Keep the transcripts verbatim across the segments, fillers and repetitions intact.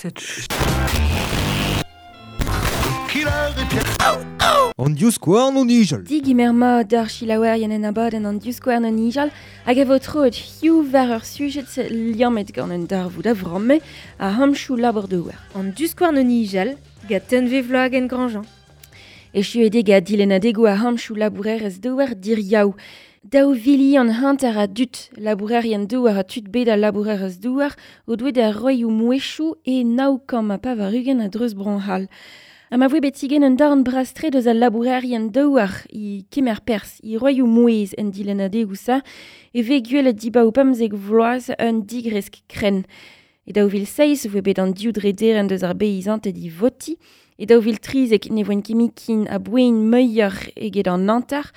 Kaset An diouskouarn o nijal. Digimer ma d'ar chilaouerien en abadenn an diouskouarn o nijal hag a vo troet hiziv war ur sujet liammet gant un darvoud a vramme a hamchou labour douar. An diouskouarn o nijal gant Tunve Vloagen Grandjean. Echuet eo dilennadegoù a hamchou labourerezh douar diriaou. Daou vilion hanter a dud labourerien douar a tud bet al labourerezh douar o doe da roioù mouezhioù e nav kant ha pevar-ugent a-dreuz Bro-C'hall. Ha ma voe bet igen un darn brastre deus al labourerien douar i kemer perzh i roioù mouezh en dilennadegoù-sa e vez gwelet dibaoe pemzek vloaz un digresk krenn. E daou vil seizh voe bet an div drederenn deus ar beizanted i voti. E daou vil trizek ne voent ket ken a boen muioc'h eget an hanter.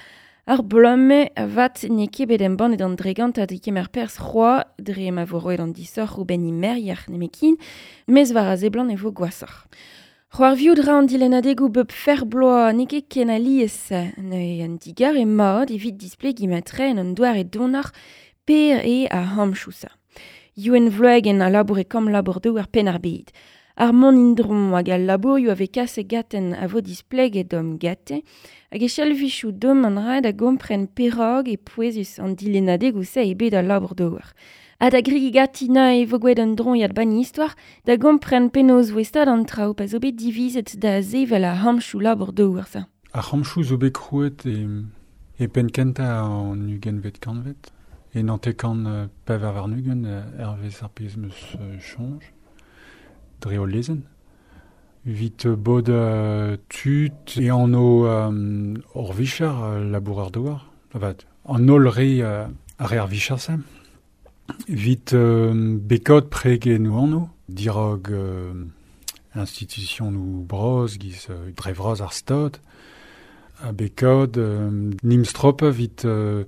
Ar bloaz-mañ avat n'eo ket bet embannet an dregantad e kemer perzh c'hoazh dre ma vo roet an disoc'h ouzhpenn merc'her nemetken, mes war a seblant e vo gwashoc'h. C'hoarviout ra an dilennadegoù bep fer bloaz n'eo ket ken alies neuze an digarez mat evit displegiñ matre en un doare donoc'h per eo ar hamchou-sa. Youenn Vloagen a labour e kamp labour-douar Penn-ar-Bed. Ar mont indron hag al labourioù a vez kaset gaten a vo displeget dom gate, hag e chalvichoù dom an ra da gompren perak e pouezus an dilennadegoù-se e bet al labour-douar. Ha da grigi gati na e vo gwelet un droiad ban istor da gompren penaos voe stad an traoù pa zo bet divizet da sevel ar hamchou labour-douar sa. Ar hamchou zo bet krouet e, e penn kentañ an ugentvet kantved, e naontek-kant pevar warn-ugent hervez ar pezh 'm eus soñj. Dre o lezenn. Evit bod uh, tud e anv um, ur vicher uh, labourer douar. Avat, an holl re uh, ar re ar vicher-se. Evit uh, bekot pregennoù anv, dirog uh, institutionoù bras giz uh, dre vras ar stad, ha bekot uh, nimstrope evit uh,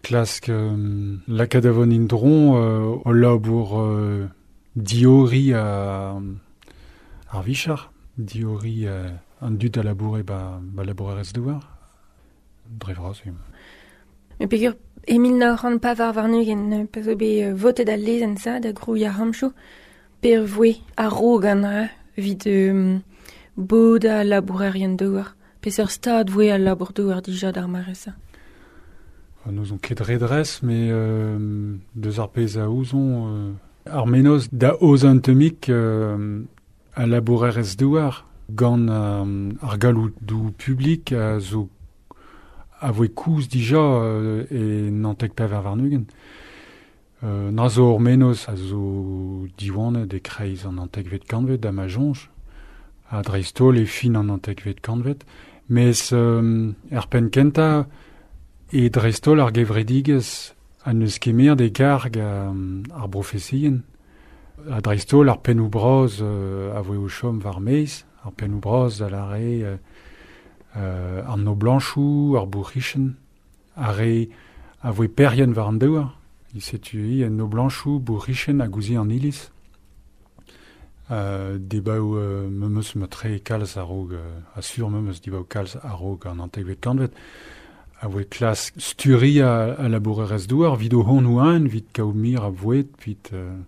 klask um, lakaat a von indron uh, o labour uh, diori a ar vicher, diori uh, an dud a laboure ba, ba labourerezh douar, dre vras eo. Me peogwir e mil nav c'hant pevar warn-ugent pa zo bet votet al lezenn sa da grouiñ ar hamchou, per voe a-raok an dra evit um, bod al labourerien douar. Peseurt stad voe al labour-douar dija d'ar mare-se? N'ouzon ket re dres, met euh, deus ar pezh a ouzon euh, ar menoz da aozañ un tammig euh, a labourerezh douar gant euh, ar galloudoù publik a zo a voe koulz dija euh, e naontek pevar warn-ugent. Euh, na zo ur menoz a zo diwanet e-kreiz an naontekvet kantved da ma soñj, ha dreist-holl e fin an naontekvet kantved, mes euh, er penn kentañ e dreist-holl ar gevredigezh a neus kemer e karg um, ar brofesien. Ha dreist-holl ar pennoù bras euh, a voe o chom war maez, ar pennoù bras a lâre euh, euh, an noblañchoù, ar bourc'hichen, ar re a voe perien war an douar. Setu i an noblañchoù, bourc'hichen hag ouzh an iliz. Euh, debaoù euh, memes matre kalz a-raok, euh, asur memes dibaoù kalz a-raok an naontekvet kantved, a voe klask sturiñ a, a labourerezh douar, evit o hon oan, evit kaout mir a boued, evit euh,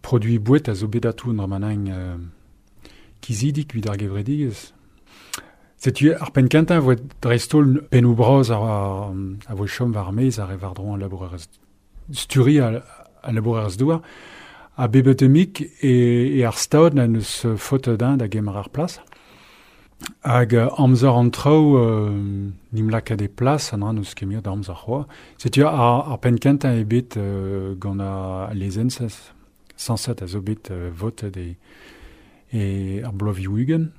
produiñ boued a zo bet atav un dra-mañ euh, kizidik evit ar gevredigezh. Setu ar penn kentañ voe dreist-holl pennoù bras ar, ar, a voe chom war maez ar re war-dro an labourerezh sturiñ a, a labourerezh douar, ha bep tammig e, e ar stad na neus faotet din da gemer ar plas. Hag euh, amzer an traoù euh, nim lakaat e plas an dra n'eus ket muioc'h da amzer c'hoazh. Setu ar, ar penn kentañ eo bet euh, gant ar lezenn sañset a zo bet euh, votet e, e ar bloavezhioù ugent.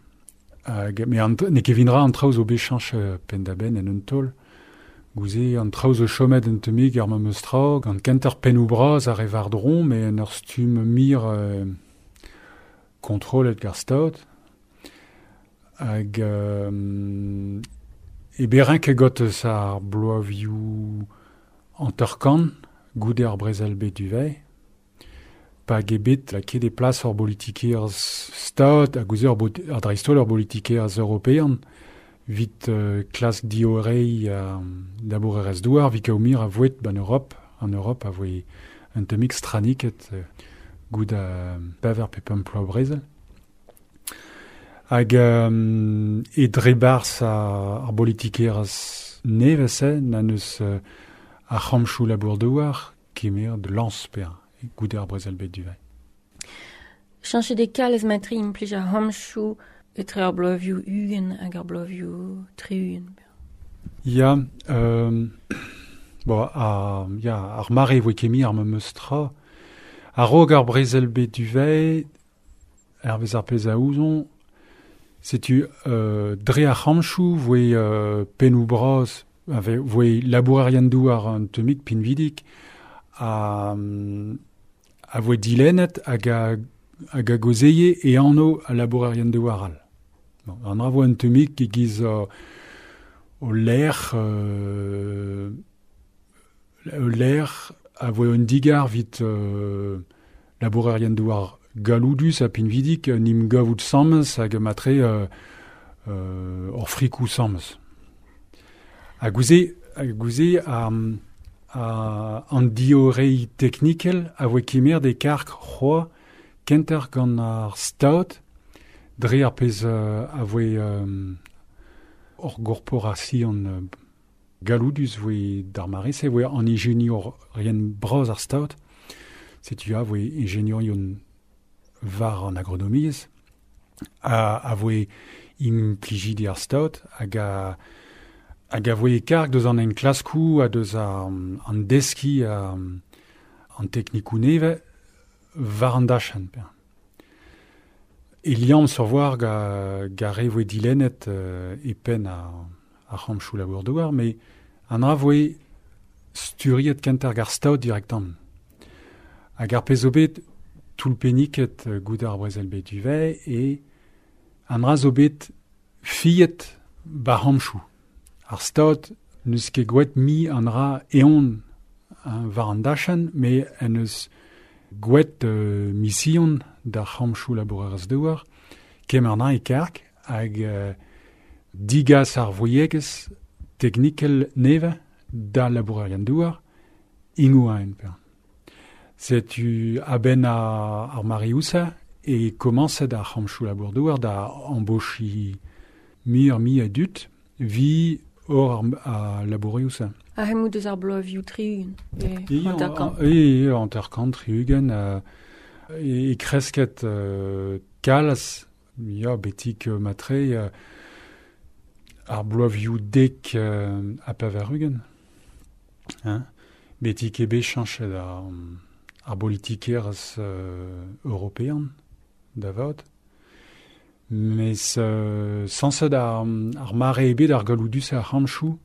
Hag, met an, n'eo ket evit an traoù zo bet chañch penn-da-benn en un taol. Gouze an traoù zo chomet un tammig ar memes tra, gant kentoc'h pennoù bras ar re war-dro, met en ur stumm mir euh, kontrollet gant ar stad. Hag euh, e berrin ket got eus ar bloavezhioù hanter-kant goude ar brezel bet du-vez. Pa eo bet lakaet e plas ur bolitikerezh stad hag ouzh ur ar dreist-holl ur bolitikerezh european evit euh, klask diorreiñ euh, labourerezh douar evit kaout mir a voued ban Europe. An Europe a voe un tammig straniket euh, goud a baver pe pemp ploa brezel. Hag euh, e drebars ar, ar politikerez nevez na neus euh, ar c'hamchou labour douar kemer de lans per goude ar brezel bet duvet. Chanchet de kalez matri implij ar c'hamchou etre ar bloavioù ugent hag ar bloavioù tri-ugent. Ya, euh, bon, a, ya, ar mare voe kemi ar memeus tra. A-raok ar brezel bet duvet, ar vez ar pez a ouzon, setu euh, dre ar c'hamchou voe euh, pennou bras, ave, voe labourerien douar an temik pinvidik, a, a voe dilennet hag a, hag a gozeye e anno a labourerien douar al. Bon, an ra voe an temik e giz euh, o l'air euh, l'air a voe un digar vit euh, labourerien douar galoudus a pinvidik nim gavout samez hag matre euh, euh, or frikou samez. A gouze, a gouze a, a an diorei teknikel a voe kemer de kark c'hoa kenter gant ar staot dre ar pez euh, a voe euh, or gorporasion euh, galoudus voe d'ar mare se voe an ingenior rien bras ar staot. Setu a voe ingeniorion var an agronomiez, a, a voe implijidi ar staot, hag a, hag a voe karg deus an enklaskou ha deus ar, an deski a, an teknikou neve var an dachan. E liam sur voir ga, ga re voe dilennet euh, e pen a, a c'hamchou labour douar, mais an ra voe sturiet kenter gar staot direktan. Hag ar pez zo bet toulpenniket goud ar brezel bet duvet e an ra zo bet fiet ba c'hamchou. Ar staot n'eus ket gweet mi an ra eon war an dachan, me en eus gweet euh, mission d'ar c'hamchou labourerez douar, kemer na e karg hag euh, digas ar voyegez teknikel neve da labourerien douar ingou a en per. Setu a-benn ar, ar mariousa e komañset ar c'hamchou labour douar da embauchi mi ar mi a dut vi or ar, a labouriousa. A hemou deus ar bloavioù tri-ugent. E hanter-kant. E hanter-kant, tri-ugent. Euh, e, e kresket euh, kalz, ya, betik euh, matre, euh, ar bloavioù dek euh, a pavar-ugent. Hein? Betik ebe chanchet ar, ar politikerez euh, european, da vat. Mes euh, sañset ar, ar mare ebet ar galoudus ar c'hamchou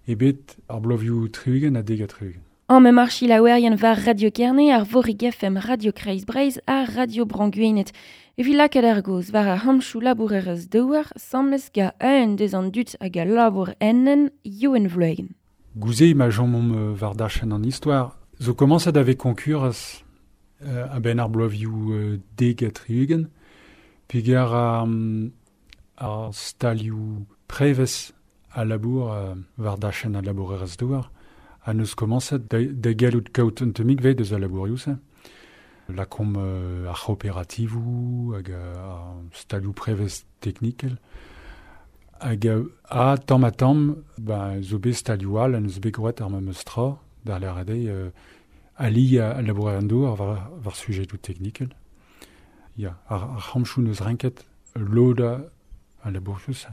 ebet ar bloavioù tri-ugent ha dek ha tri-ugent. An me marchi laouerien var Radio Kerne, ar Vorig F M Radio Kreiz Breizh ha Radio Branguenet. Evit lakaat ar goz war ar c'hamchou labourerez douar, samez ga un deus an dud hag a labour ennen Youen Vloegen. Gouze ma jomomp war dachenn an istoar, zo komañset ave konkurez euh, a-benn ar bloavioù euh, dek ha tri-ugent, peogwir ar, ar stalioù prevez a labour euh, war dachenn a labourerez douar, a neus komañset da, da gallout kaout un temik vez deus a labourioù-se. Lakomp euh, ar c'hooperativoù hag ar stalioù prevez teknikel. Hag a, a tamm ha tamm, ba, zo bet stalioù all, a neus bet groet ar memes tra, d'ar l'er euh, ali a, a labourer an douar war, war sujedoù teknikel. Ya, ar, ar c'hamchou neus renket lod a, a labourioù-se.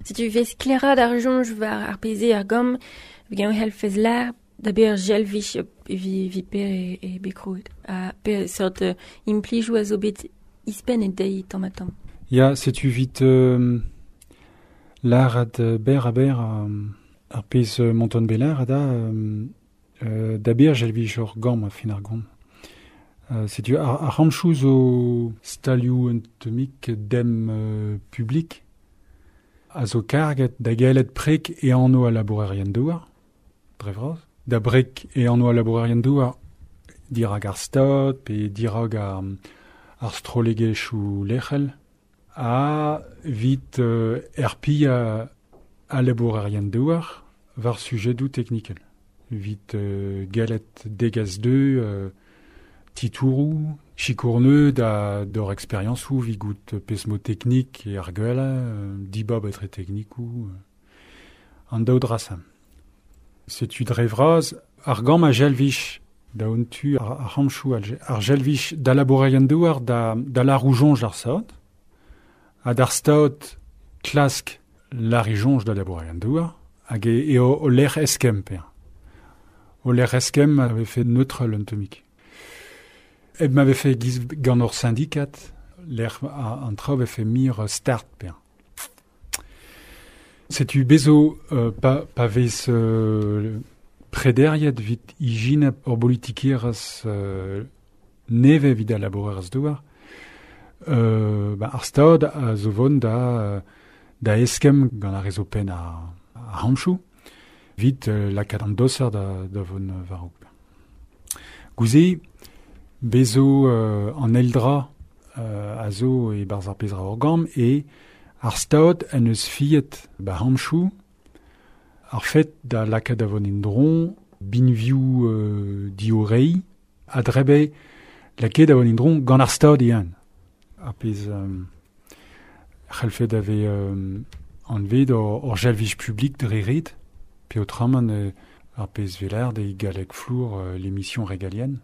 Setu vez kleraat ar soñj war ar peze ar gamm, hag helfez lar, da ber jelvich vi, vi per e, e bekroet. A per sort euh, implijoù a zo bet ispen e deiz tamm ha tamm. Ya, setu vit euh, lar ad ber a ber ar pez monton belar da euh, euh, da ber jelvich ur gamm a fin ar gont. Euh, setu ar, ar c'hamchou zo stalioù un temik dem euh, publik a zo karget da galet prek e anno a labourerien douar, dre vras. Da brek e anno a labourerien douar dirag ar stad pe dirag ar, ar strollegezhioù lec'hel a vit euh, erpi a, a labourerien douar war sujedoù teknikel. Vit euh, galet degas deux euh, titourou, chikourneu da d'or expérienceou vigout pesmo teknik e ar gwella, euh, dibab etre teknikou, euh, an daou drasa. Setu dre vraz, ar gam a jelvich da on tu ar, ar hamchou ar jelvich da labourerien douar da, da la roujonj ar saot, ha d'ar staot klask la rijonj da labourerien douar, hag e, e o, o lec'h eskem per. O lec'h eskem avait fait neutre l'antomik. Eb m'avait fait giz gant ur syndikat, lec'h an traoù avait fait mir start per. Setu bezo euh, pa, pa vez euh, prederiet vit ijin ur politikerez euh, neve vid a labourerez douar, euh, ba, ar stad a zo vont da, da eskem gant ar rezo pen a, a hamchou, vit euh, lakaat an doser da, da vont war. Gouze, bezo euh, an eldra euh, a zo e barz ar pezra ur gam e ar stad en eus fiet ba hamchou ar fet da lakaat da vont indron binviou euh, diorei a drebe lakaat da vont indron gant ar stad ian. Ar pez euh, c'hellfet ave euh, anvet ur, ur jalvij publik dre ret, pe otramant euh, ar pez velar de galleg flour euh, l'émission régalienne.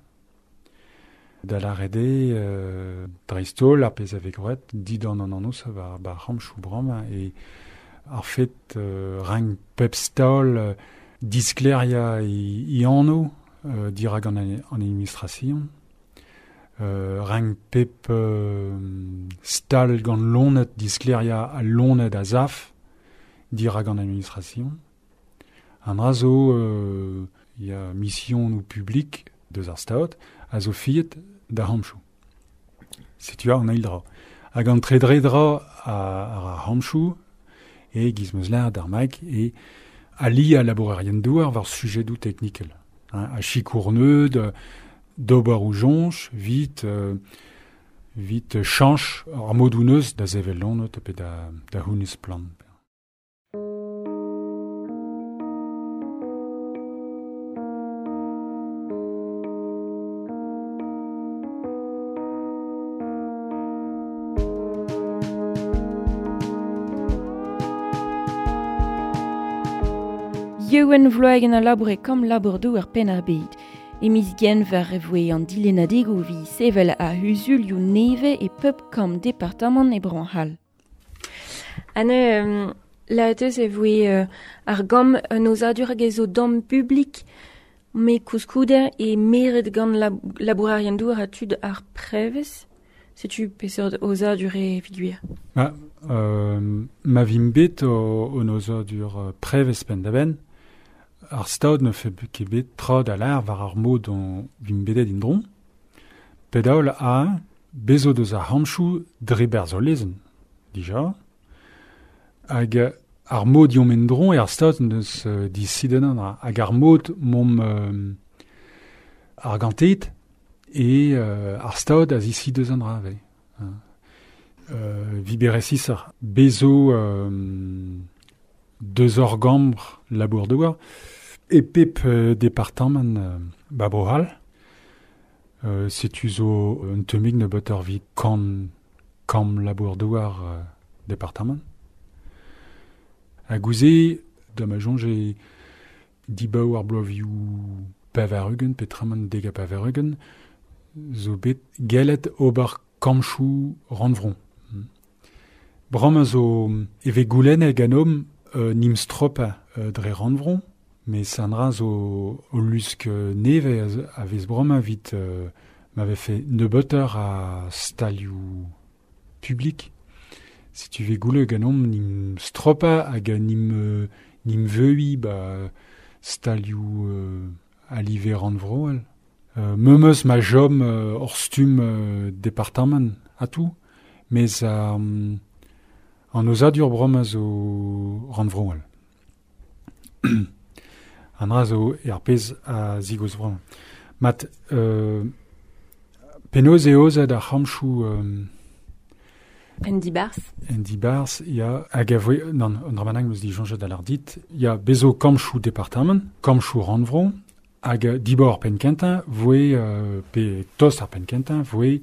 Da la rede euh, dreistol ar pez ave groet, didan an annos war ba ramchou bram e ar fet euh, rang pep staol euh, diskleria i, i anno euh, dirag an, an administration. Euh, rang pep euh, stal gant lonet diskleria a lonet a zaf dirag an administration. An dra zo euh, ya mission ou public deus ar staot a zo fiet da hamchou. Setu an eil dra. Hag an tredre dra a, ar a hamchou e giz meus lar d'ar mag e ali a labourerien douar war sujedou teknikel. Hein, a chikourneud, d'ober ou jonch, vit, euh, vit chanch ar modouneus da zevel lonot pe da, da hounez plan. Yewen vloagen a laboure kam labour ar pen ar bed. E miz genver e voe an dilenadegou vi sevel a huzulioù neve e pep kam departamant e Bro-C'hall. Anne, euh, la teus e voe euh, ar gam an ozadur hag ez o dam publik me kouskouder e meret gant lab labourerien douar a tud ar prevez. Setu peseurt ozadur e figuir. Ma, euh, ma vim bet o, o ozadur prevez pen da ben, ar stad ne fe ket bet tra da l'ar war ar mod an vim bedet indron, pedaol a bezo deus ar hamchou dre berz o lezen, dija, hag ar mod yom endron e ar stad neus euh, disiden an hag ar mod mom euh, ar gantet e euh, ar stad a zisi deus an dra ve. Euh, viberesis ar bezo euh, deus ur gambr labour douar e pep euh, departamant euh, ba Bro-C'hall. Euh, setu zo un temig ne bet ur vit kan kam labour douar euh, departamant. A gouze, da ma jonge e dibaou ar bloavioù pevar-ugent, petraman dega pevar-ugent, zo bet gellet ober kamchou rannvron. Bram a zo eve goulenn ganom euh, nim stropa euh, dre rannvron, me sandra zo o lusk neve a vez bram a vit euh, m'avait fait nebeutoc'h a stalioù publik. Si tu ve goule ganom nim stropa hag nim, euh, nim veui ba stalioù euh, a live rannvroel. Euh, memeus ma jom euh, ur stum euh, departamant a tout, mes euh, an ozadur brom a zo rannvroel. An dra zo er pezh a zigoz brom. Mat euh, penaos eo ozad ar c'hamchou euh, En dibars. En dibars, ya hag a voe, non, an dra manang meus dijoñjet a l'ar dit, ya bezo kamchou departamant, kamchou rannvro, Hag dibor pen kentañ voe euh, pe tost ar pen kentañ voe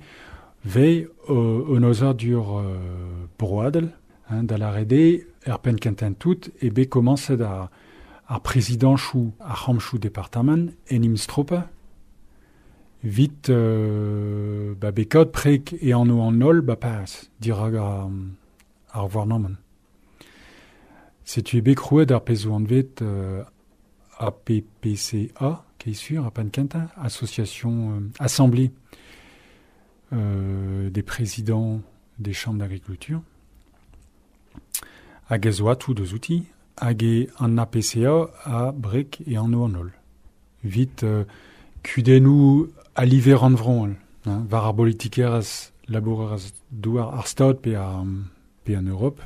ve euh, un ozadur euh, broadel, hein, da la rede er pen kentañ tout e be komañset ar, ar prezidanchoù ar c'hamchoù departamant en im stropa vit euh, ba be kaout prek e anv an holl ba Paris dirag ar, ar gouarnamant. Setu e bet krouet ar pezh zo anvet euh, A P P C A, qui est sûr, à Pankenta, association, euh, assemblée euh, des présidents des chambres d'agriculture. Hag ez oa tout deus outi, hag e an A P C A a brek e an o an holl. Vit euh, kudennoù a liver an vron, hein, war ar politikerez labourerez douar ar stad pe, ar, pe an Europe.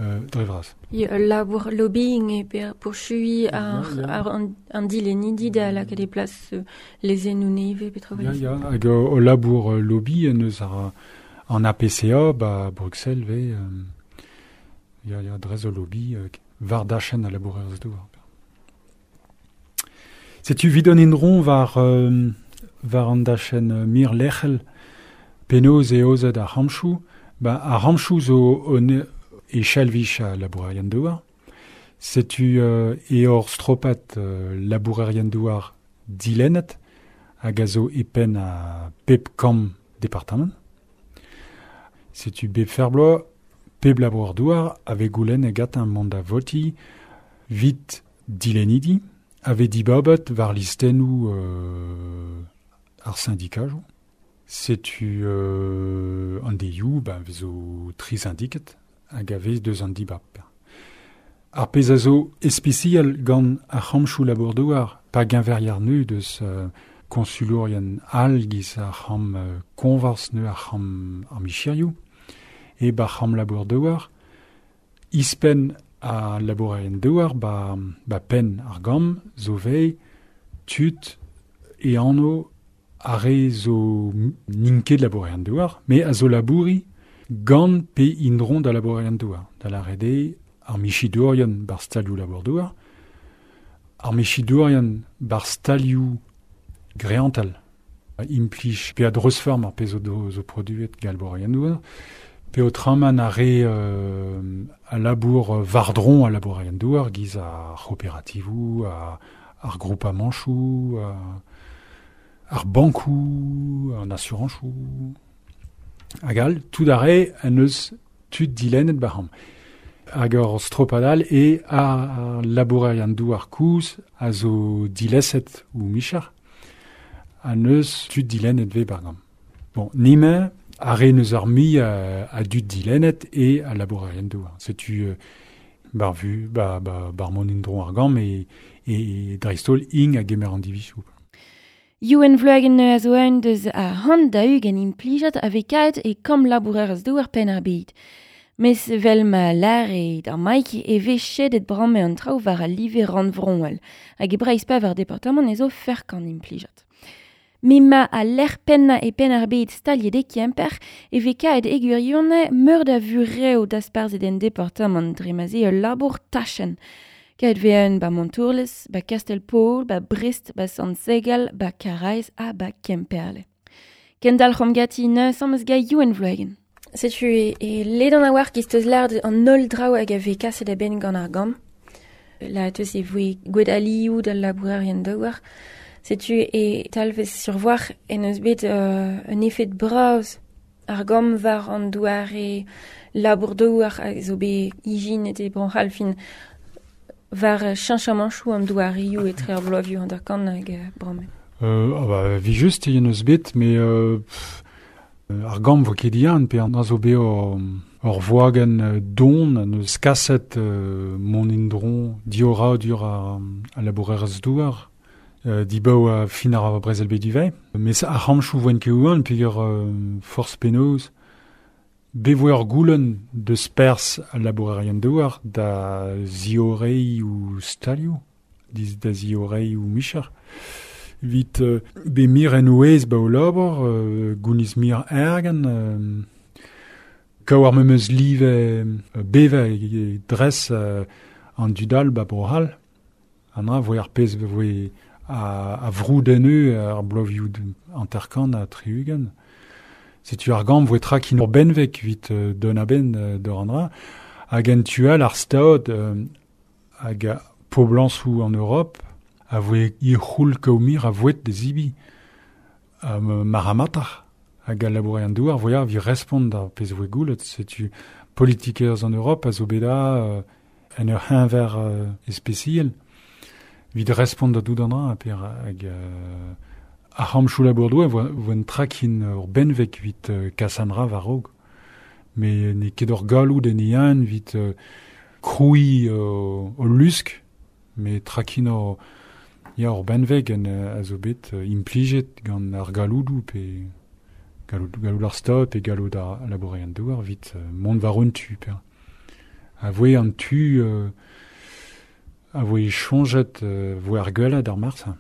Euh, dre vras. Ya, labour lobbying e per pourchui ar, Ya, ya. ar an, an dilennidi da lakaat e plas euh, lezennoù nevez pe tra Ya, vras. ya, hag o, o labour euh, lobby en eus ar, an A P C A ba Bruxelles ve euh, ya, ya, drez o lobby euh, war dachen a labourerez douar. Setu vidon indron war, euh, war an dachen euh, mir lec'hel penaos e ozet ar c'hamchoù, ba ar c'hamchoù zo on e chalvich a labourerien douar. Setu euh, e hor stropat euh, labourerien douar dilennet hag a zo e penn a pep kamp departamant. Setu bep ferbloaz, pep labourer douar ave goulenn e gat un mont da voti vit dilennidi ave dibabet war listennoù euh, ar syndikajoù. Setu euh, an deioù, ben, vezo tri syndiket hag a vez deus an dibab. Ar pezh a zo especial gant ar c'hamchoù labour-douar, pa geñveriar neu deus euh, konsulourien all giz ar c'ham euh, konvars neu ar c'ham ar micherioù, e ba c'ham labour-douar, ispenn a labourerien douar ba, ba penn ar gam zo vei tud e anv ar re zo n'int ket labourerien douar, me a zo labouri gant pe indron da labourerien douar. Da la rede ar michidourien bar stalioù labour-douar, ar michidourien bar stalioù greantal. Implij pe a dreuzform ar pezh zo do, zo produet gant labourerien douar, pe o traman ar re, euh, a labour vardron a labourerien douar, giz ar c'hooperativoù, ar, ar groupamanchoù, ar, ar bankoù, an asurañchoù. Hag all, tout ar re an eus tud dilennet ba'c'hamp. Hag ur stropadal e ar labourerien douar kouz a zo dileset ou michar an eus tud dilennet ve bargam. Bon, nime, ar re neus ar mi a, a dud dilennet e a labourerien douar. Setu euh, bar vu, ba, ba, bar mon indron ar gam e, e dreistol ing a gemer an divisoù. Youenn Vloagen a zo un deus a c'hant da ugent implijat a vez kaet e kamp labourerez douar penn ar bed. Mes vel ma lâre d'ar Mike e vez chedet bramme an traoù war al live rannvroel, hag e Breizh pa war departamant ez zo ferk an implijat. Me ma a lec'h pennañ e penn ar bed staliet e Kemper e vez kaet e gwirionez meur da vureo dasparzhet en departamant dre ma 'z eo ul labour tachenn. Kaet vez un ba Montourlez, ba Kastel-Paol, ba Brest, ba Sant-Segal, ba Karaez ha ba Kemperle. Kendalc'homp ganti neuze am eus gant Youenn Vloagen. Setu e, e ledan a war giz teus lâret an holl draoù hag a vez kaset a-benn gant ar gambr. La teus e voe gwet alioù d'al labourerien douar. Setu e talvez survoar en eus bet euh, un efed bras ar gambr war an douar e labour douar a zo bet ijinet e Bro-C'hall fin war cheñchamanchoù an douarioù etre ar bloavioù an darkan hag euh, bramme. Euh, ah bah, vi just e eus bet, mais euh, pff, ar gambr vo ket dian, pe an a zo bet ur, ur voagen don, an eus kaset euh, mon indron diora dur a, a labourerez douar, euh, dibaou a fin ar brezel bet divei. Mes ar c'hamchoù voen ket oan, peogwir euh, forz penaos, be voe ur goulenn deus perzh al labourerien douar da ziorei ou stalioù, diz da ziorei ou micher. Vit euh, be mir en ouez ba o labour, euh, gouniz mir ergen, euh, kaou ar memeus live euh, beve e dres euh, an dudal ba Bro-C'hall. An dra voe ar pezh voe a, a vroudenneu ar bloavioù hanter-kant ha tri-ugent. Setu ar gambr voe trakin ur benveg evit euh, don a-benn euh, d'ur an dra. Hag en tual ar staod euh, hag a poblañsoù an Europe a voe i c'houl kaoumir a voet de zibi. A maramatar hag a labourer an douar voia vi respond ar pezh voe goulet. Setu politikers an Europe a zo bet a euh, en ur c'heñver euh, especiel. Vid respond da dout an dra a per hag euh, ar c'hamchou labour-doue voa, voa un trakin ur benveg vit euh, kas an dra war-raok. Me n'eo ket ur galoud en ean vit euh, kroui euh, o lusk, me trakin ur, ya ur benveg en euh, a zo bet euh, implijet gant ar galoudou pe galoud, galoud ar stad pe galoud ar labourer an douar vit euh, mont war un tu per. A voe an tu euh, a voe choñjet euh, voe ar gwellad ar marsa.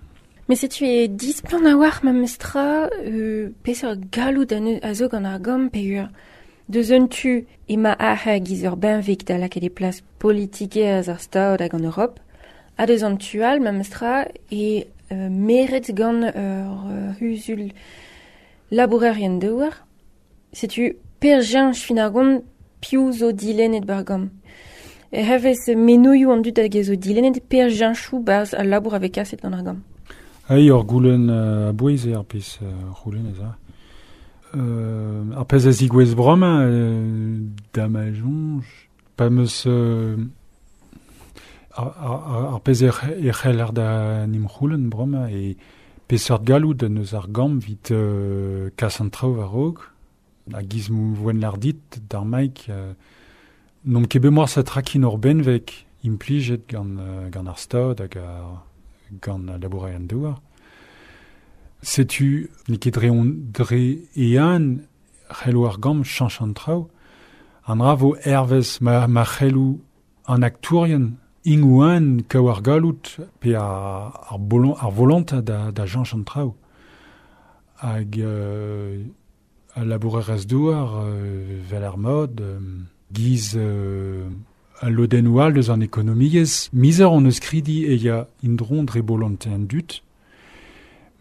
Mais setu e displant a war ma mestra euh, peseurt galoud a, a zo gant ar gambr pe ur deus un tu ema ar giz ur benveg da lakaat e plas politikerezh ar stad hag an Europe, ha deus an tu all ma mestra e euh, meret gant ur euh, huzul labourerien douar. Setu per jeñch fin ar gont piv zo dilennet bar gambr. E hervez menoioù an dud hag e zo dilennet per jeñchoù barzh al labour a vez kaset gant ar gambr. Ai ur goulenn euh, a bouez eo ar pezh euh, c'houlenn ez a. Euh, ar pezh a zigouez bremañ euh, da ma soñj, pa meus euh, ar, ar, ar pezh e c'heller da nim c'houlenn bremañ e peseurt galoud neus ar gambr vit euh, kas an traoù war-raok, a giz voen lardit d'ar maik euh, n'omp ket bet moar sa trakin ur benveg implijet gant, euh, gant ar stad hag ar, gant al labourer an douar. Setu n'eo ket dre on dre ean c'hello ar gambr chañch an traoù. An dra vo hervez ma, ma c'hello an aktourien ingouan kaou ar galout pe ar, ar, bolon, ar volonta da, da chañch an traoù. Hag euh, al labourerez douar euh, vel ar mod euh, giz euh, al lodennoù all deus an ekonomiezh. Mizer on eus kridi e ya indron dre bolonte an dut,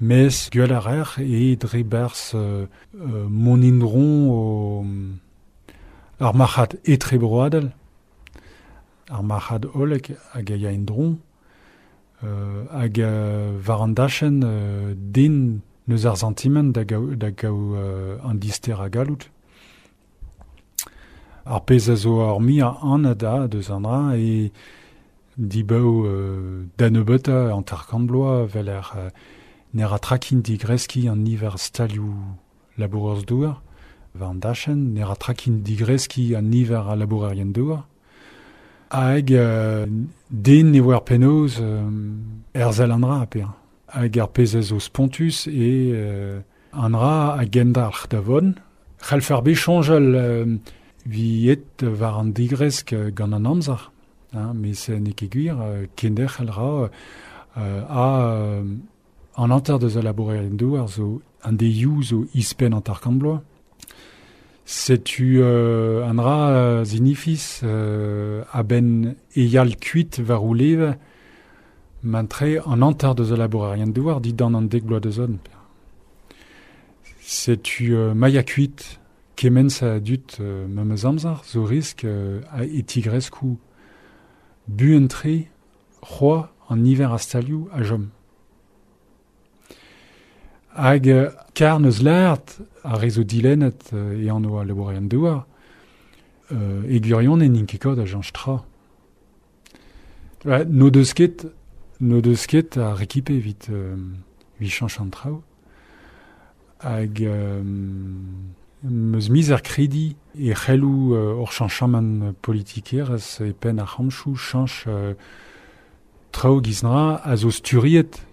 mes gwell ar ec'h e dre berzh euh, euh, mon indron o, ar marc'had etrebroadel, ar marc'had hollek hag a ya indron, euh, hag euh, war an dachenn euh, den neus ar sentiment da gaou, da gaou euh, an dister a galout. Ar pezh a zo ar mi a an a da deus an dra e dibaou euh, da nebeutañ an tarkant bloaz vel ar euh, ner a trakin digreski an niver stalioù labourerz douar war an dachenn, ner a trakin digreski an niver a labourerien douar. Hag euh, den ne oa ar penaos euh, erzel an dra a pe. Hag ar pezh a zo spontus e euh, an dra a gendalc'h da vont. C'hallfer bet soñjal euh, vi et war an digresk gant an amzer. Hein, mes se n'eo ket gwir, euh, kenderc'hel ra euh, a euh, an hanter deus a labourerien douar zo an deioù zo ispenn an tarkant bloaz. Setu euh, an dra euh, zinifis euh, a-benn eyal kuit war o leve mantre an hanter deus a labourerien douar didan an dek bloaz deus on. Setu euh, maia kuit kement sa dut euh, memes amzer zo risk euh, a e tigreskou buan-tre c'hoa an niver a stalioù a jom. Hag euh, kar neus lart a rezo dilennet euh, e an oa labourerien douar euh, e gwirion en int ket kaout a jañch tra. Ouais, no deus ket, no deus ket a rekipe evit euh, evit chañch an traoù. Hag euh, meus miz ar kredi e c'helloù euh, ur chañchamant politikerezh e penn ar c'hamchou chañch euh, traoù giz dra a zo sturiet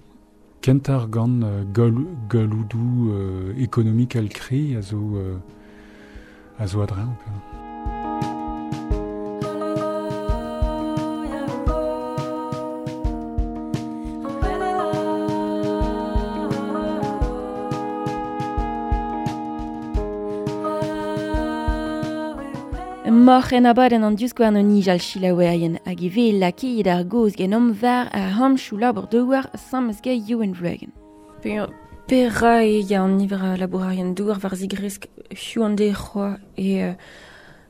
kentar gant euh, gal-, galoudou euh, ekonomikel kri a zo, euh, a zo adreñv. Moc'h en abadenn an diouskouarn o nijal chilaouerien hag e vez lakeet ar goz genomp war ar hamchou labour douar samez ga Youenn Vloagen. Pera e ya an niver a labourarien douar war zigresk hiu an de c'hoa e euh,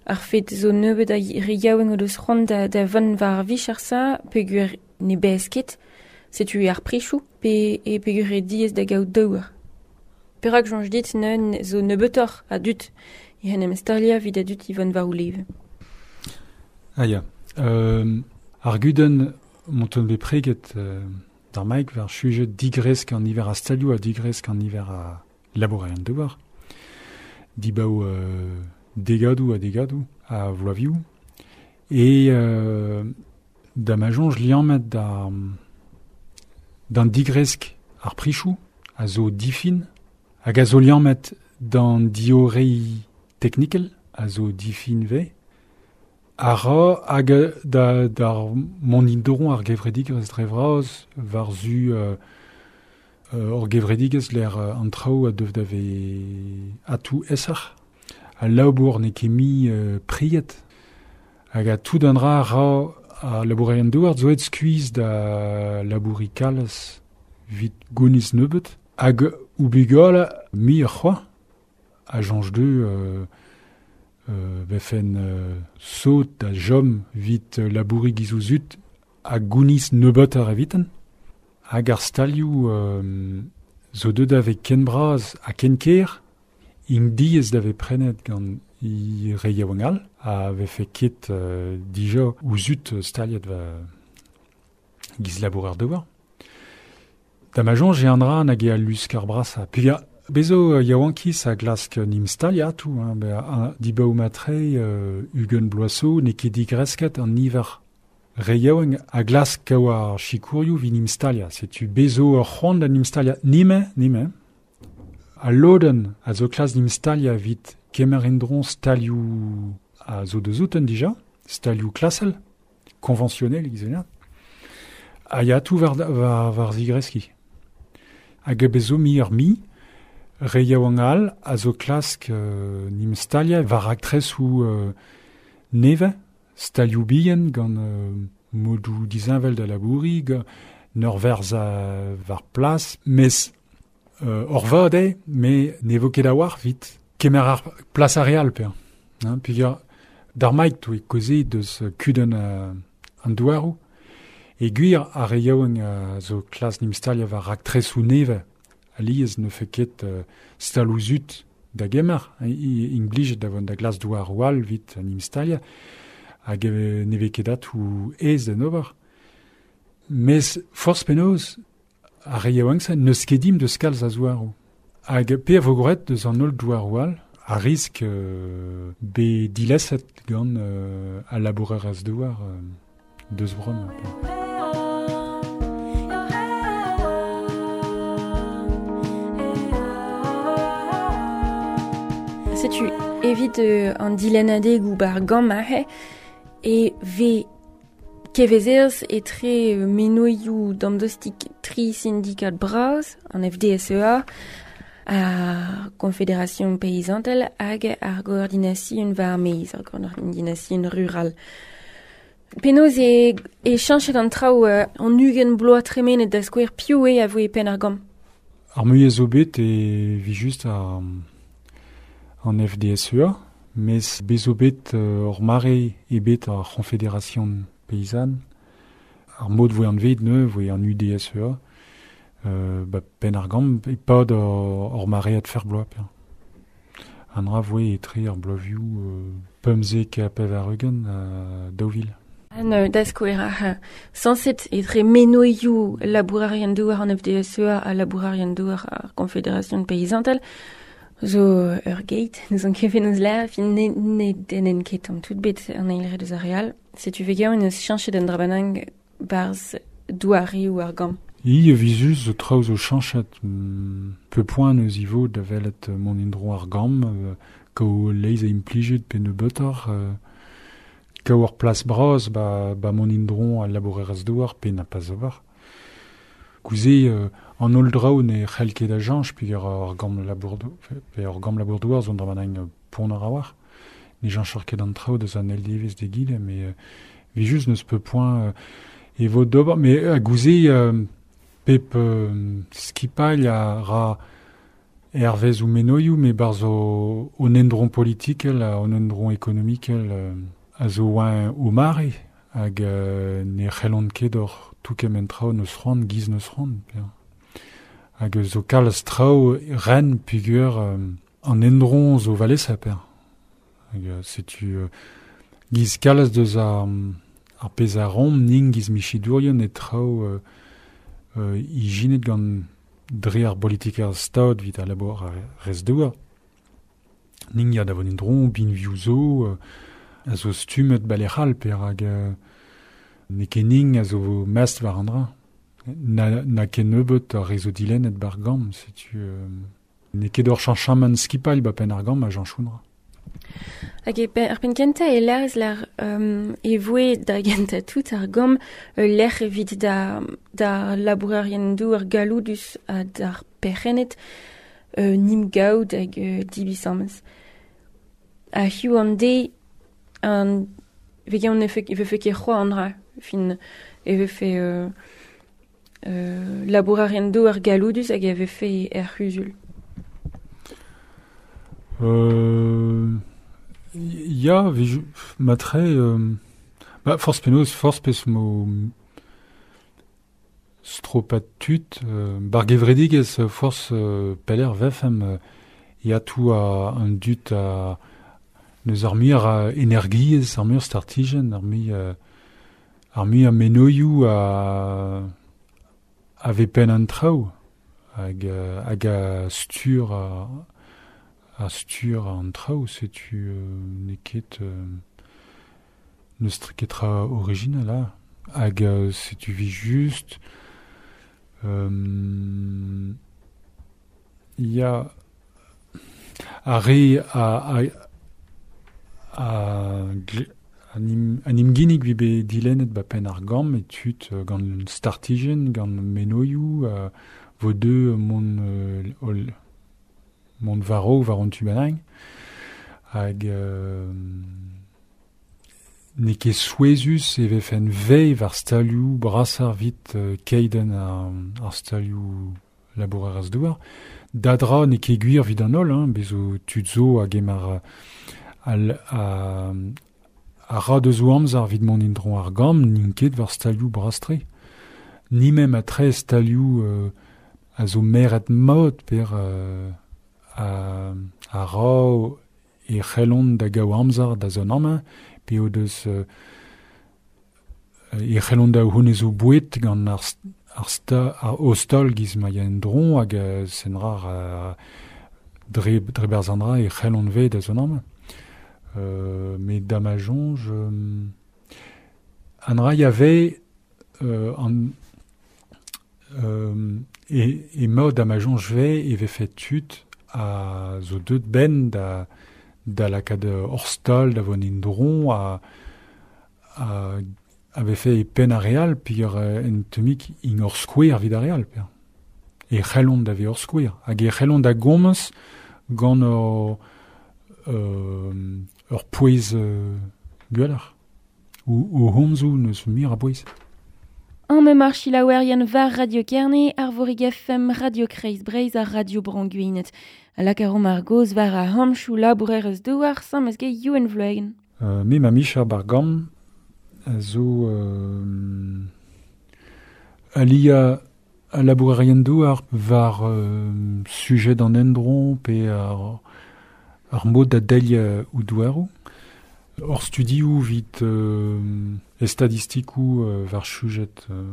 ar fet zo nebeut a re yaouenn o deus c'hoant da, da vont war vich ar sa peogwir ne baez ket, setu ar prichoù pe e peogwir e diaes da gaout douar. Perak soñj dit neun zo nebeutoc'h a dud e en em stalia vid a dud Yvonne war o leve. Ah ya. Euh, ar gudenn monton bet preget euh, d'ar maik war sujet digresk an niver a stalioù ha digresk an niver a labourerien douar. Dibaou euh, degadoù ha degadoù a vloavioù. E euh, da ma soñj liammet da d'an digresk ar prichoù a zo difin hag a zo liammet d'an diorei teknikel a zo difin ve a ra hag da d'ar mont indoron ar gevredigez dre vras war zu euh, euh, ur gevredigez l'er an traoù a dev da ve atou esac'h a labour n'eo ket mi euh, priet hag a tout an dra ra a labourerien douar zo et skuizh da labouri kalz vit gouniz nebeut hag oubigol mi ur c'hoa a jañj deu euh, euh, vefen euh, sot da jom vit labouri giz zut a gouniz nebeut ar eviten hag ar stalioù euh, zo deut ave ken braz ha ken ker int diaes da ve prenet gant i re yaouank all a vefe ket euh, dija ouzut staliet va giz labourer douar. Da ma soñj e an dra nag e al lusk ar brasa. Puis ya, bezo yaouankiz a glask nim stalia tout, hein, be, a, dibaou matre euh, ugen bloaso n'eo ket digresket an niver re yaouank a glask kaout ar chikourioù vi nim stalia. Setu bezo ur c'hoant da nim stalia nime, nime. A lodenn a zo klas nim stalia vit kemer endron stalioù a zo deus outen dija, stalioù klasel, konventionnel, gizenat. A ya tout war, war, war zigreski. Hag bezo mi ur mi, re yaouank all a zo klask euh, nim stalia war aktres ou euh, neve, stalioù bihan gant euh, modoù dizinvel da labouri, neur verz a war plas, mes euh, ur vad eo, me ne vo ket a war vit kemer ar plas ar real pe. Hein, puis ya, d'ar maik to e koze deus kudenn uh, an douaroù, e gwir ar re yaouank a zo klas nim stalia war raktresoù neve, alies ne fe ket uh, staloù zut da gemer, int blijet da vont da glas douaroù all vit nim stalia, hag ne ve ket atou aes d'en ober. Mes forzh penaos ar re yaouank se n'eus ket dimp deus kalz a zouaroù. Hag pe a vo gwraet deus an holl douaroù all, a risk euh, be dileset gant euh, al labourerez douar euh, deus brom. Setu evit euh, an dilennadeg ou bar gant ahe e ve kevezerz etre euh, menoioù damdostik tri syndikat braz, an F D S E A, ar Confédération Paysantel hag ar Goordination war meiz, ar Goordination Rural. Penaos e, e chañchet an traoù euh, an ugent bloaz tremenet da skouer piv eo a voe penn ar gant. Ar muiañ zo bet e vi just ar, an F D S E A, mes bez zo bet euh, ur mare e bet ar Confédération Paysanne, ar mod voe an vet neu voe an U D S E A, euh, ba penn ar gant e pad ur, ur maread fer bloaz pe. An dra voe etre ar bloavioù euh, pemzek ha pevar-ugent a daou vil. An euh, da skouer ar sañset etre menoioù labourarien douar an F D S E A ha labourarien douar ar Confédération Paysantel zo ur geit, nous an ket eus la, fin ne, ne denen ket an tout bet an eil re deus ar real. Setu vegañ eus chañchet an drabanang barz douari ou ar gant. I vizus zo traoù zo chañchet peu poent eus ivo da welet mont endro ar gamm, euh, kao leiz a implijet pe nebeutoc'h, euh, kao ur plas bras ba, ba mont endro al labourerez douar pe na pas ober. Gouze euh, an holl draoù ne c'hell ket a jañch pe ur, ur gamm labour dou-, pe ur gamm labour douar zo an drabanang pont ar a war. ne janchor ket an traoù deus an eil devezh d'egile, mais euh, vi just neus peu point euh, e vo d'ober, mais a gouze euh, pep euh, skipailh a ra hervez ou menoioù, mais barz o, o endron politikel, o endron ekonomikel euh, a zo oa o mare, hag euh, ne c'hellont ket ur tout kement traoù neus c'hoant, giz neus c'hoant. Hag zo kalz traoù ren pugur euh, an endron zo valesa per. Hag setu euh, giz kalz deus ar, ar pezh a rom ning giz michidourion e traoù euh, euh, ijinet gant dre ar politiker stad vit ar labour ar rez douar. Ning ya da von endron, bin viou zo, euh, a zo stummet balec'hal per hag euh, ne ket ning a zo mast war an dra. Na, na ket nebeut ar rezo dilennet bar gamm, setu euh, ne ket ur chanchamant skipal ba pen ar gamm a janchounra. Hag e pen, ar pen kenta e lerz l'ar um, e voe da genta tout ar gamm euh, lec'h evit da, da labourerien dou ar galoudus ha d'ar perc'hennet euh, nim gaout hag euh, dibisamez. A hiu an de an vegan ne fe, e vefe ket c'hoa an dra, fin e vefe euh, euh, labourerien dou ar galoudus hag e vefe er c'huzul. Euh, ya, vi, matre, euh, ba, forz penaos, forz pez mo stropat tud, euh, bar gevredigez forz euh, peler vefem, euh, ya tou a un dut a neus ar muiar a energiez, ar muiar startijen, ar muiar euh, ar muiar menoioù a a ve pen an traoù, hag, hag a stur a, a stur an traoù, setu euh, ne ket euh, neus ket tra original a. Hag euh, setu vi just euh, ya a re a a a, an im ginnig vi be dilennet ba pen ar gamm e tud gant startijen, gant menoioù, euh, vo deux mont euh, ol, mont varo war an tu benang hag euh, ne ket souezus e vefen vei war stalioù brasar vit euh, keiden ar, ar stalioù labourer az douar. Dadra ne ket gwir vid an holl, hein, bezo tud zo hag emar al, a, a ra deus o amzer vid mont indron ar gamm n'int ket war stalioù brastre. Ni mem a tre stalioù euh, a zo meret mod per euh, a, a ra e c'hellont da gaou amzer da zon amañ, pe o deus euh, e c'hellont da hounnez o bouet gant ar, ar, sta, ar o stol giz ma ya en dron hag euh, sen rar euh, dre, dre berz an dra e c'hellont ve da zon amañ. Euh, mais da ma jonge, euh, an ra y avait euh, an, euh, e, e mod da ma jonge ve e ve fait tud a zo deut ben da da lakad ur stal da von indron a, a avait fait e pen a real puis ur en temik in ur skouer vid a real per. E c'hellont da ve ur skouer. Hag e c'hellont da gomz gant ur euh, ur pouez euh, gwelloc'h. Ou, ou homzoù neus mir a bouez. An me mar chilaouerien var Radio Kerne, ar vorig F M, Radio Kreiz Breiz ar Radio Branguinet. A lakarom ar goz var a hamchou labourer eus douar, sam eus ge Youenn Vloegen. Euh, me ma micher bar gamm a zo euh, alia a labourerien douar var euh, sujet an endron pe ar, ar mod da delh euh, ou douarou. Ur studioù vit euh, e statistikou euh, var sujet euh,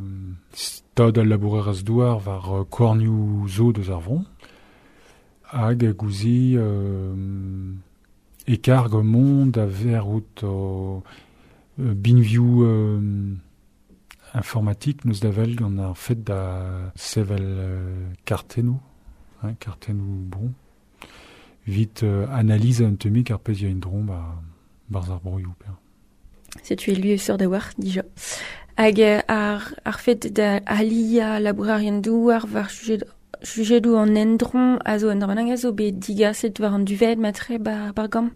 stad al labourer az douar var euh, kornioù zo deus ar vron. Hag gouzi euh, e karg mont a ver out o euh, binvioù euh, informatik neus da vel gant ar fet da sevel euh, kartennoù, hein, kartennoù bon. Vit euh, analyse un temik ar pezh ya indron ba barz ar broioù per. Setu e lui sur da war, dija. Hag ar, ar fet da alia labourerien douar war sujet sujedou an endron a zo en dormanang a zo bet digaset war an duvet matre bar, bar gamm.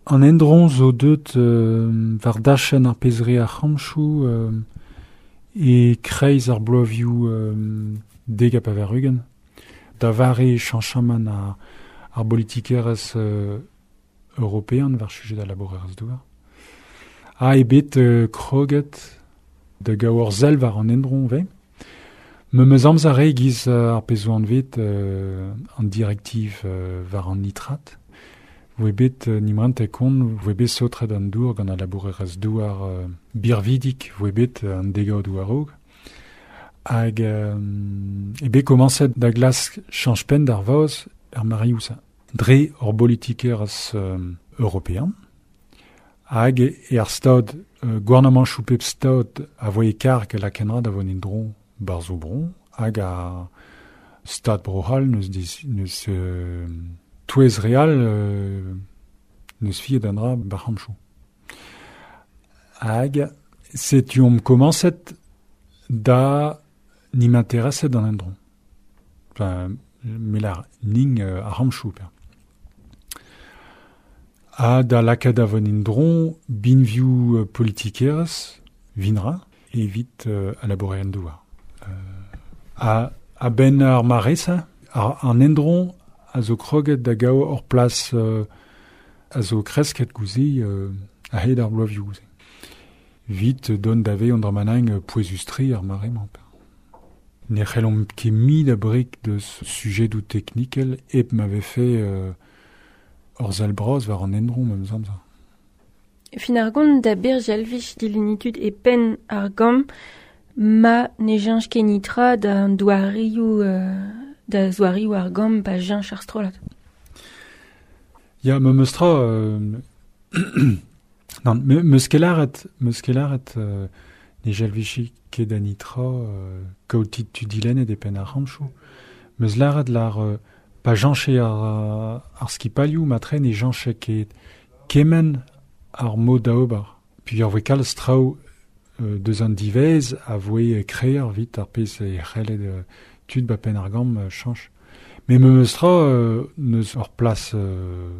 An endron zo deut euh, war dachen ar pezre ar c'hamchou euh, e kreiz ar bloavioù euh, deg a paverugen. Da vare chanchaman ar, ar politikerez euh, european war sujet da labourerez douar. Ha e bet euh, kroget da gaour zel war an endron ve. Me meus amzer re giz euh, ar pezo an vet euh, an direktiv euh, war an nitrat. Voe bet euh, nimrant e kont, voe bet saotret an dour gant al labourerez douar euh, birvidik, voe bet euh, an dega o douarog. Hag euh, e bet komanset da glas chanch pen d'ar vaoz er mariousa. Dre ur politikerez euh, european. Hag e ar stad, euh, gouarnamant choupep stad a voe karg la kenra da von endron bar zo bron, hag a stad brohal neus, dis, neus euh, touez real euh, neus fiet an dra bar c'hamchou. Hag setu omp komanset da nim intereset an endron. Enfin, melar ning euh, ar c'hamchou per. Ha da lakaat a von endron binvioù euh, politikerez vinra evit euh, a labourerien douar. Euh, a, a ben ar maresa, ar, an endron a zo kroget da gao ur plas euh, a zo kresket gouze euh, a hed ar bloavioù gouze. Vit don dave an dramanang euh, pouezustri ar maremañ. Ne c'hellomp ket mi da brik deus sujet ou teknikel ep m'avait fait euh, ur zal bras war an endron meus amzer. Fin ar gont da berj alvich dilenitud e pen ar gam ma ne janch ket nitra da an doarioù, euh, da zoarioù ar gam pa janch ar strollad. Ya, me meus tra... Euh, non, me, meus ket lâret, meus ket lâret, euh, ne jalvichi ket da nitra euh, kaotit tu dilennet e pen ar c'hamchou. Meus lâret lar euh, pa janche ar, ar skipalioù matre ne janche ket kemen ar mod da ober. Puis ar voe kalz traoù euh, deus an divez a voe kreer vit ar pezh e c'hellet euh, tud ba pen ar gam euh, chanch. Mais me meus tra euh, neus ur plas euh,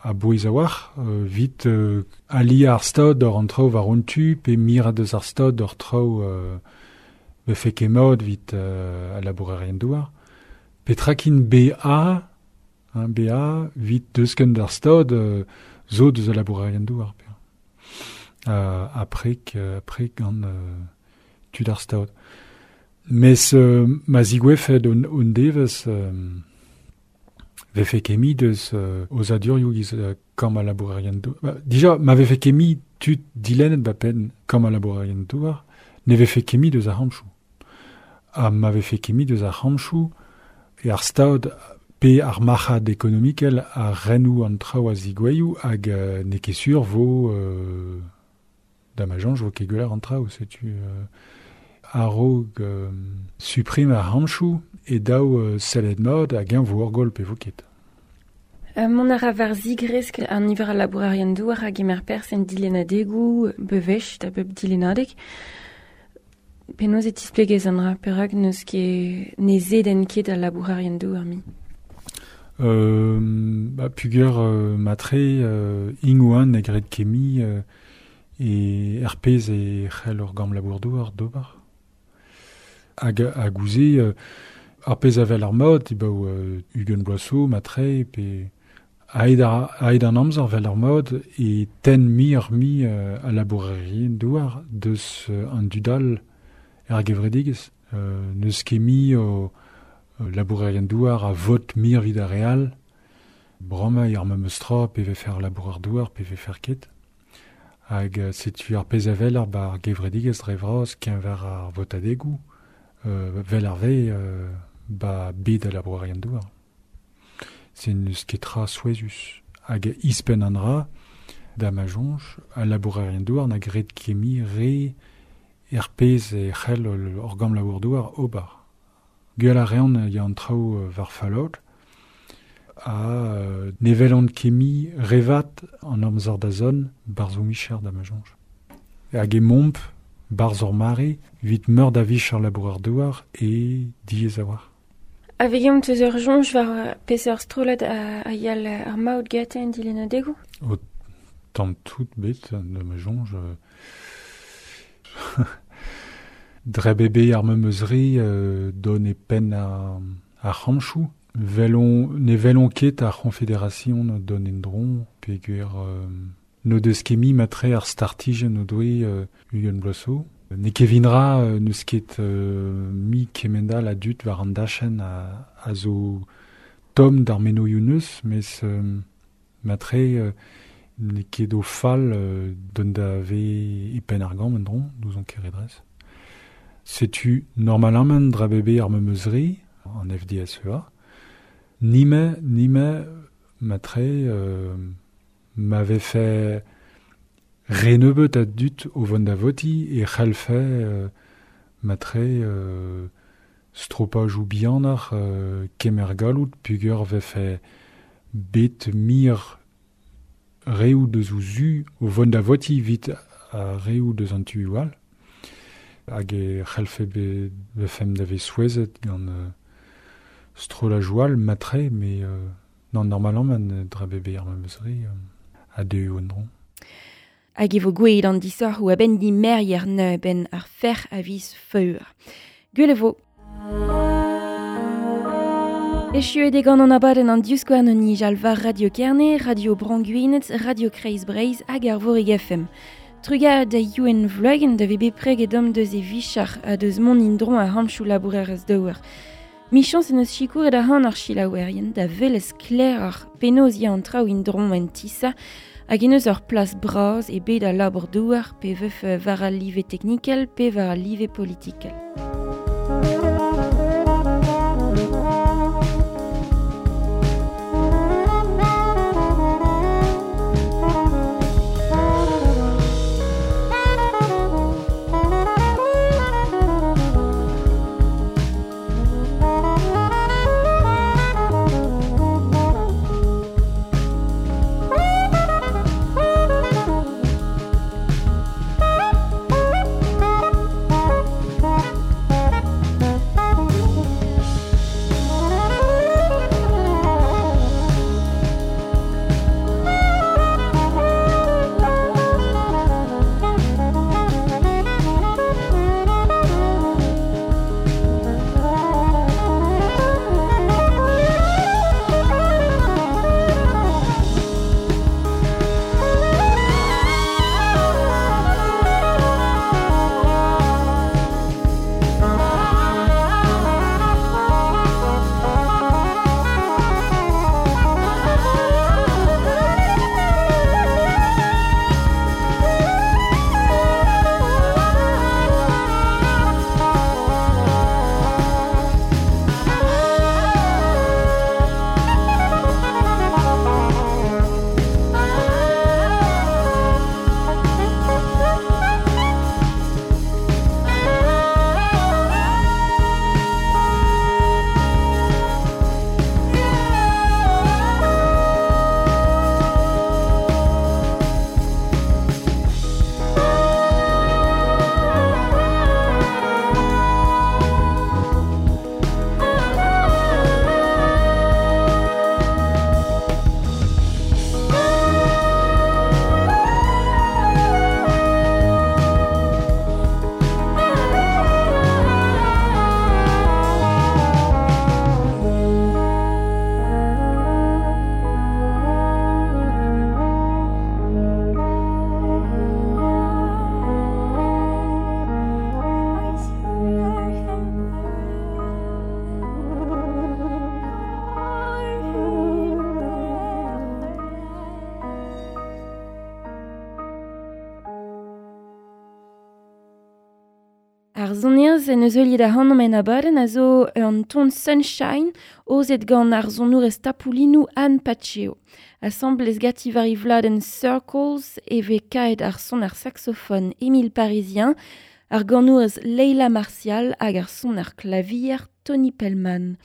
a bouez a war, euh, vit euh, ali ar stad ur an traoù war un tu, pe mira deus ar stad ur traoù euh, me fe ket mod vit euh, a labourerien douar. Petra kin B A, hein, B A, vit deus ken d'ar stad euh, zo deus a labourerien douar. Pe. Euh, après que, après gant euh, tud ar stad. Mes euh, ma zigouefet un, un devez euh, vefe kemi deus euh, oz adurioù giz euh, kam a labourerien douar. Ba, dija, ma vefe kemi tud dilennet ba pen kam a labourerien douar, ne vefe kemi deus ar c'hamchou. Ha ma vefe kemi deus ar c'hamchou e ar stad pe ar marc'had ekonomikel a renou an traoù a zigoueioù hag euh, ne ket sur vo euh, da ma janj vo ket gwell an traoù, setu euh, a-raok euh, suprim ar c'hamchou e daou euh, sellet mod hag eñ vo ur goll pe vo ket. Euh, mont a ra war zigresk an niver a labourerien douar hag emer pers en dilennadegoù bevech da bep dilennadeg. Penaos e tisplegez an dra perak n'eus ket ne zeden ket al labourerien douar mi. Euh, ba, pugur euh, matre euh, ingouan e gret kemi euh, e er pezh e c'hell ur gam labour douar d'ober. Hag a gouze euh, ar pezh avel ar mod, e baou euh, Ugen Boisseau, matre, pe aet ar, aet an amzer vel ar mod e ten mi ur mi euh, a labourerien douar deus euh, an dudal er gevredigez. Euh, n'eus ket mi o euh, labourerien douar a vot mir vid ar real. Bramañ ar memes tra pe vefe ar labourer douar pe vefe ket. Hag euh, setu ar pezh avel ar bar gevredigez dre vras keñver ar votadegoù, euh, vel ar ve euh, ba bet a labourerien douar. Se n'eus ket tra souezhus. Hag ispenn an dra da ma soñj a labourerien douar na gret kemi re er pezh e c'hell ur gam labour douar ober. Gwell a reont ya an traoù euh, war fallot a euh, nevel an kemi revat an amzer da zon bar zo micher da ma soñj. Hag e momp bar zor mare vit meur da vich ar labourer douar e diez a war. A vegeomp teus ur soñj war peseurt strollad a, a yal ar maout gate en dilennadegoù? O Tamm tout bet, da ma soñj. Dre bebe ar memes re euh, don e penn a, a c'hamchou. Velon, ne velon ket ar c'honfederation don en dron, peogwir euh, no deus ket mi matre ar startijenn o doe euh, ugent bloaz. Ne kevinra euh, n'eus ket euh, mi kemendal a dut war an dachenn a, a zo tomm d'ar menoioù neus, mes euh, matre euh, ne ket o fall euh, don da ve e penn ar gambr en dron, n'ouzon ket redrez. Setu normalement dra bebe ar memes re, an F D S E A. Nime, nime, matre, euh, m'avait fait re nebeut a dut o vont da voti e c'hellfe euh, matre euh, stropaj ou bihanoc'h euh, kemer galloud peogwir vefe bet mir reoù deus o zu o vont da voti evit a reoù deus an tu all. Hag e c'hellfe be, befem da vez souezhet gant euh, strolaj all matre, mais euh, non, normalement, dra bebe ar memes re euh, a deuo en dron. Hag e vo gwelet an disoc'h ou a-benn di merrier neu ben ar fer a viz feur. Gwell e vo. Echuet eo gant an abadenn an divskouarn o nijal war Radio Kerne, Radio Bro-Gwened, Radio Kreiz Breizh hag ar Vorig F M. Trugarez da Youenn Vloagen da vez bepred edom deus e vichar ha deus mont indron a hamchou labourer eus daouer. Michañs en eus sikour da han ar chilaouerien da velez kler ar penaos ya an traoù indron en tisa hag en eus ur plas bras e bet a labour douar pe veuf war al live teknikel pe war al live politikel. Ar sonerezh en eus heuliet ac'hanomp en abadenn a zo an ton Sunshine ozet gant ar sonourez tapoulinoù Anne Paceo. Asambles ganti war vladenn Circles e vez kaet ar son ar saxofon Émile Parisien, ar ganourez Leila Martial hag ar son ar klavier Tony Pellman.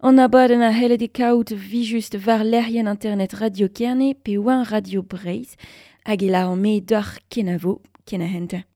An abadenn a c'hellet e kaout vijust war lec'hienn internet Radio Kerne pe war Radio Breizh hag e la an me d'ar kenavo, kenahente.